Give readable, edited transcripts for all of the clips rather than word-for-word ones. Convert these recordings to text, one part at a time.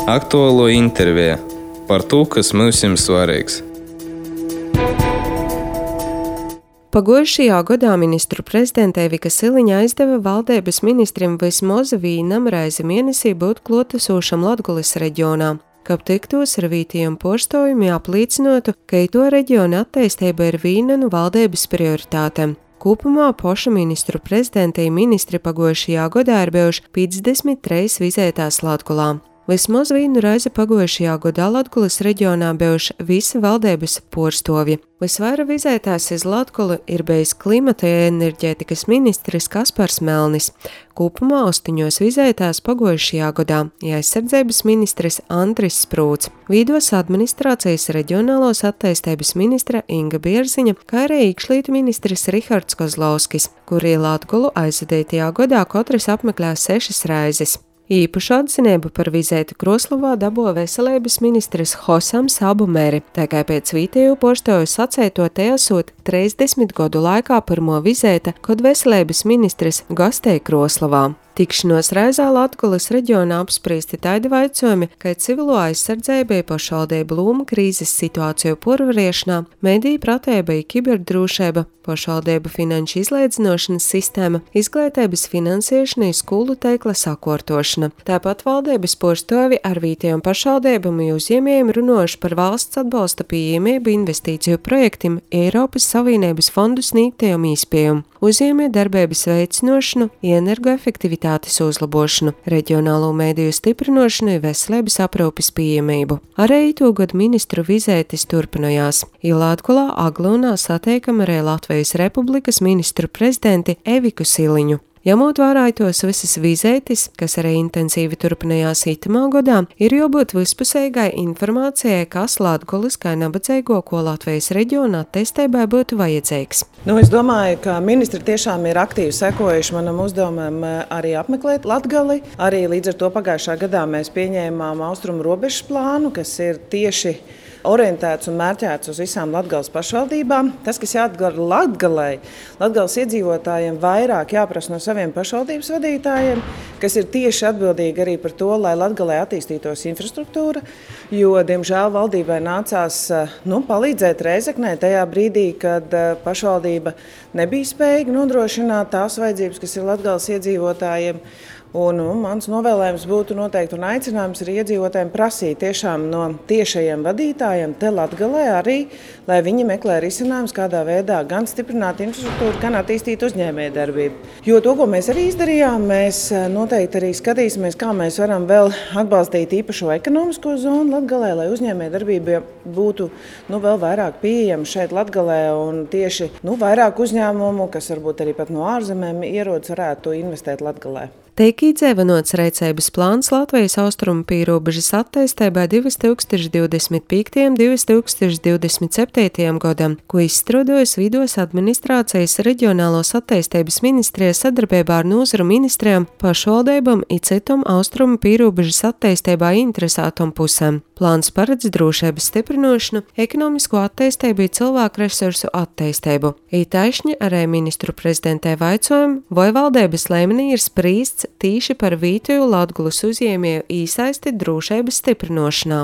Aktuālo interviju par to, kas mums ir svarīgs. Pagājušajā gadā ministru prezidente Evika Siliņa aizdeva valdības ministrim vismaz vienam reizi mēnesī būt klātesošam Latgoles reģionā, kab tiktos ar vītiem porstojumi apliecinotu, ka to reģiona attīstība ir viena no valdības prioritātēm. Kopumā paša ministru prezidentei ministri pagājušajā gadā ir bijuši 53 vizētās Latgolā. Vismaz vienu reizi pagājušajā gadā Latgoles reģionā bijuši visi valdības porstovi. Visvairāk vizētās iz Latgolu ir bijis klimata un enerģētikas ministrs Kaspars Melnis. Kopumā 8 vizētās pagājušajā gadā aizsardzības ministrs Andris Sprūts, vīdos administrācijas reģionālos attīstības ministra Inga Bierziņa, kā arī iekšlietu ministrs Rihards Kozlovskis, kuri Latgolu aizvadītajā gadā katrs apmeklē 6 reizes. Īpašu atzinību par vizēti Kroslovā dabūja veselības ministrs Hosams Abumeri, tā kā pēc vītēju porstoju sacēto te esot 30 gadu laikā pirmo vizēta, kad veselības ministrs gastēja Kroslovā. Tikšanos reizē Latgoles reģionā apspriesti taidi vaicojumi, kā civilo aizsardzībai pašvaldību loma krīzes situāciju porvariešanā, mediju pratēbai kiberdrūšība, pašvaldību finanšu izlīdzinošanas sistēma, izglītības finansēšana, skolu teikla sakārtošana. Tāpat valdības porstovi ar vītējiem pašvaldībām un uzņēmējiem runājuši par valsts atbalsta pieejamību investīciju projektiem Eiropas Savienības fondu sniegtajiem īspējumiem, uzņēmēju darbības veicinošanu, energoefektivitātes uzlabošanu, reģionālo mediju stiprinošanu un veselības aprūpes pieejamību. Arī itūgad ministru vizētis turpinājās. Latgolā Aglonā satiekam arī Latvijas Republikas ministru prezidenti Eviku Siliņu. Ņemot vērā tos visas vizētis, kas arī intensīvi turpinājās itamā gadā, ir jābūt vispusīgai informācijai, kas Latgoles kā nabadzīgo, ko Latvijas reģiona attīstībai būtu vajadzīgs. Es domāju, ka ministri tiešām ir aktīvi sekojuši manam uzdevumam arī apmeklēt Latgali. Arī līdz ar to pagājušā gadā mēs pieņēmām austrumu robežas plānu, kas ir tieši orientēts un mērķēts uz visām Latgales pašvaldībām. Tas, kas jādara Latgalei, Latgales iedzīvotājiem vairāk jāprasa no saviem pašvaldības vadītājiem, kas ir tieši atbildīgi arī par to, lai Latgalei attīstītos infrastruktūra, jo, diemžēl, valdībai nācās palīdzēt Rēzeknei tajā brīdī, kad pašvaldība nebija spējīga nodrošināt tās vajadzības, kas ir Latgales iedzīvotājiem. Un mans novēlējums būtu noteikti un aicinājums arī iedzīvotājiem prasīt tiešām no tiešajiem vadītājiem te Latgalē arī, lai viņi meklē risinājumus, kādā veidā gan stiprināt infrastruktūru, gan attīstīt uzņēmējdarbību. Jo to, ko mēs arī izdarījām, mēs noteikti arī skatīsimies, kā mēs varam vēl atbalstīt īpašo ekonomisko zonu Latgalē, lai uzņēmējdarbība būtu vēl vairāk pieejama šeit Latgalē un tieši vairāk uzņēmumu, kas varbūt arī pat no ārzemēm ierodas, varētu investēt Latgalē. Tiek īdzēvenots rīcības plāns Latvijas austrumu pīrobežas attīstībai 2025. un 2027. gadam, ko izstrādājas Vidos administrācijas reģionālos attīstības ministrija sadarbībā ar nozaru ministrijām, pašvaldībām un citām austrumu pīrobežas attīstībā interesētām pusēm. Plāns paredz drošības stiprināšanu, ekonomisko attīstību un cilvēku resursu attīstību. Ītaisni arī ministru prezidentē vaicojumu, vai valdības līmenī ir spriests tīši par vītoju Latgoles uzņēmēju īsaisti drošības stiprināšanā.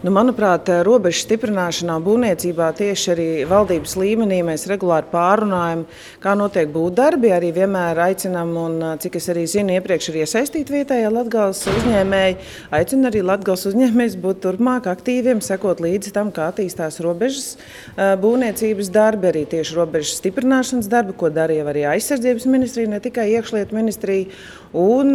Manuprāt, robežu stiprināšanā būvniecībā tieši arī valdības līmenī mēs regulāri pārunājam, kā notiek būvdarbi. Arī vienmēr aicinam, un cik es arī zinu, iepriekš ir iesaistīti vietējā Latgales uzņēmēji. Aicinu arī Latgales uzņēmējus būt turpmāk aktīviem, sekot līdzi tam, kā attīstās robežas būvniecības darbi, arī tieši robežas stiprināšanas darbi, ko darīja arī aizsardzības ministrija, ne tikai iekšlietu ministrija. Un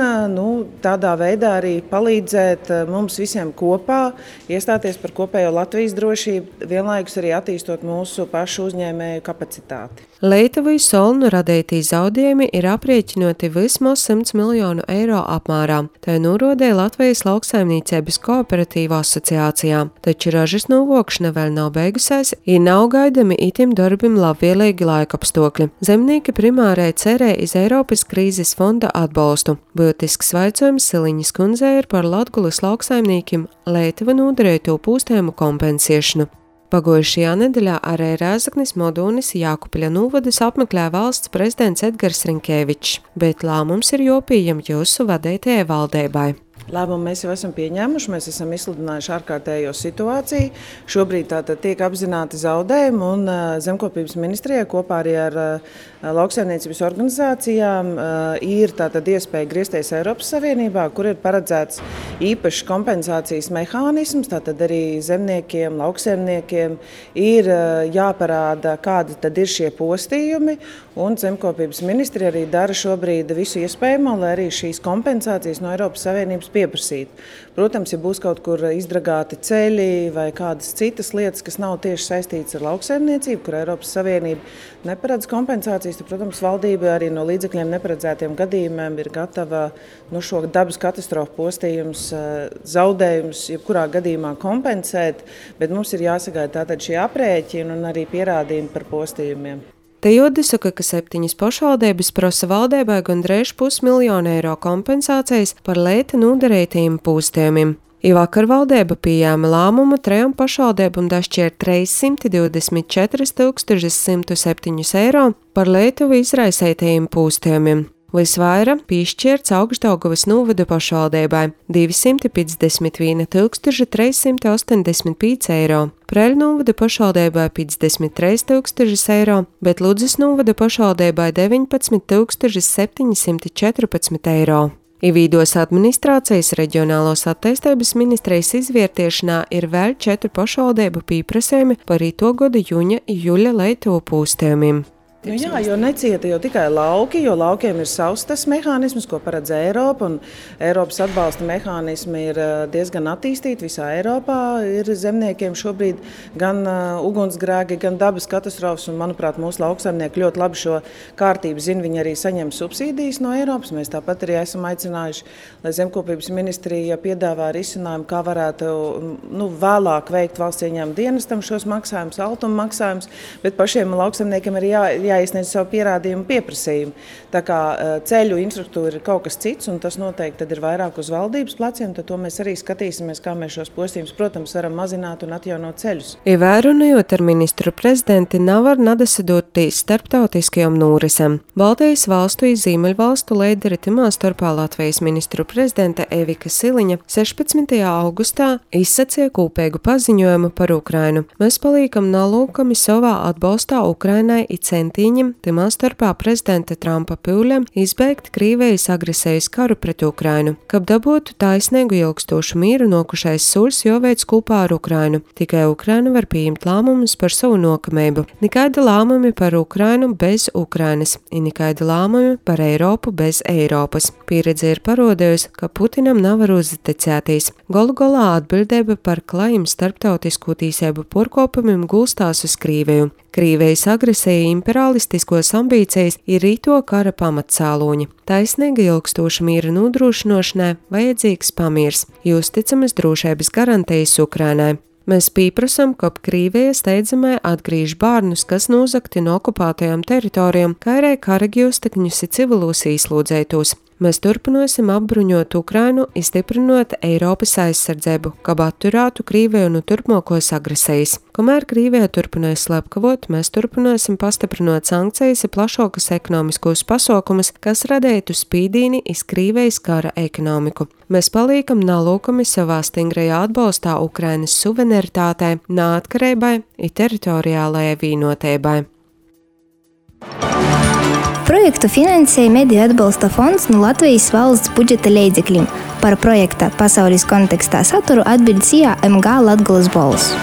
tādā veidā arī palīdzēt mums visiem kopā iestāties par kopējo Latvijas drošību, vienlaikus arī attīstot mūsu pašu uzņēmēju kapacitāti. Lietuvai Solnu radītī zaudējumi ir aprēķinoti vismaz 100 miljonu eiro apmērā. Tā norādīja Latvijas lauksaimniecības kooperatīva asociācijā, taču ražas novokšana vēl nav beigusies, ir nav gaidami itim darbim labvēlīgi laikapstākļi. Zemnieki primārai cerē iz Eiropas krīzes fonda atbalstu. Būtisks vaicojums Siliņas kundzei ir par Latgoles lauksaimniekiem Lietuva nodarīto pūstējumu kompensēšanu. Pagājušajā nedēļā arī Rēzeknes Modūnis Jākupļa novadus apmeklē valsts prezidents Edgars Rinkēvičs, bet lēmums ir jāpieņem jūsu vadītajai valdībai. Lēmumu mēs jau esam pieņēmuši, mēs esam izsludinājuši ārkārtējo situāciju. Šobrīd tātad tiek apzināti zaudējumi un Zemkopības ministrijai kopā arī ar lauksaimniecības organizācijām ir tātad iespēja griezties Eiropas Savienībā, kur ir paredzēts īpašs kompensācijas mehānisms. Tātad arī zemniekiem, lauksaimniekiem ir jāparāda, kādi tad ir šie postījumi. Un Zemkopības ministrija arī dara šobrīd visu iespējamo, lai arī šīs kompensācijas no Eiropas Savienības pieprasīt. Protams, ja būs kaut kur izdragāti ceļi vai kādas citas lietas, kas nav tieši saistītas ar lauksaimniecību, kur Eiropas Savienība neparedz kompensācijas, tad, protams, valdība arī no līdzekļiem neparedzētiem gadījumiem ir gatava šo dabas katastrofu postījumus, zaudējumus, jebkurā gadījumā kompensēt, bet mums ir jāsagaida tātad šie aprēķini un arī pierādījumi par postījumiem. Te jāsaka, ka 7 pašvaldības prasa valdībai gandrīz 500 000 eiro kompensācijas par lēti nodarītajiem postījumiem. Vakar valdība pieņēma lēmumu 3 pašvaldībām dašķirt 324 107 eiro par Lietuvu izraisītajiem postījumiem. Visvairāk piešķirts Augšdaugavas novada pašvaldībai – 251 385 eiro, Preļu novada pašvaldībai – 53 000 eiro, bet Ludzas novada pašvaldībai – 19 714 eiro. Vīdos administrācijas reģionālos attīstības ministrijas izvērtēšanā ir vēl 4 pašvaldību pieprasījumi par ito gada jūļa Lietuvu postījumiem. Jā, jo necieta jau tikai lauki, jo laukiem ir savs tas mehānisms, ko paredz Eiropa, un Eiropas atbalsta mehānismi ir diezgan attīstīti visā Eiropā. Ir zemniekiem šobrīd gan ugunsgrēki, gan dabas katastrofas, un, manuprāt, mūsu lauksaimnieki ļoti labi šo kārtību zina, viņi arī saņem subsīdijas no Eiropas. Mēs tāpat arī esam aicinājuši, lai Zemkopības ministrija piedāvā risinājumu, kā varētu vēlāk veikt valsts ieņēmuma dienestam šos maksājumus, altuma maksājumus, bet pašiem lauksaimniekiem ir jāiesniedz savu pierādījumu pieprasījumu. Tā kā ceļu infrastruktūra ir kaut kas cits, un tas noteikti tad ir vairāk uz valdības pleciem, tad to mēs arī skatīsimies, kā mēs šos postījumus, protams, varam mazināt un atjaunot ceļus. Runājot ar ministru prezidenti, nav var nadasadotīs starptautiskajam nūrisam. Baltijas valstu un Ziemeļvalstu līderi timā starpā Latvijas ministru prezidente Evika Siliņa 16. augustā izsacīja kopīgu paziņojumu par Ukrainu. Mēs palīkam nalūkami savā atbalstā Ukrainai i centīņiem, timā starpā prezidenta Trumpa pūļiem izbeigt Krīvijas agresijas karu pret Ukrainu. Kab dabūtu taisnīgu ilgstošu mīru, nokušais soļs jāveic kopā ar Ukrainu. Tikai Ukraina var pieņemt lēmumus par savu nokamību. Nikaida lēmumi par Ukrainu bez Ukrainas, un nikaida lēmumi par Eiropu bez Eiropas. Pieredze ir parodējusi, ka Putinam nav var uzticēties. Galu galā atbildība par klajiem starptautisko tīsību porkopumiem gulstās uz Krīviju. Krīvijas agresija imperialistiskos ambīcijas ir rīto kara pamatsāloņi. Taisnīga ilgstoša mīra nodrošinošanai vajadzīgs pamiers, uzticamas drošības garantijas Ukrainai. Mēs pieprasam, ka Krīvija steidzamai atgriež bērnus, kas nozagti no okupētajām teritorijām, kā arī karagīvstekņus un civilos īslūdzētos. Mēs turpināsim apbruņot Ukrainu, izstiprinot Eiropas aizsardzību, kab atturētu Krīviju no turpmākos agresijas. Kamēr Krīvija turpinās slepkavot, mēs turpināsim pastiprinot sankcijas un plašākus ekonomiskos pasākumus, kas radītu spīdīni iz Krīvijas kara ekonomiku. Mēs palīkam nalūkami savā stingrajā atbalstā Ukrainas suverenitātei, neatkarībai un teritoriālajai vienotībai. Projektu finansēja Mediju atbalsta fonds no Latvijas valsts budžeta līdzekļiem. Par projekta pasaules kontekstā saturu atbild CIA MG Latgoles balss.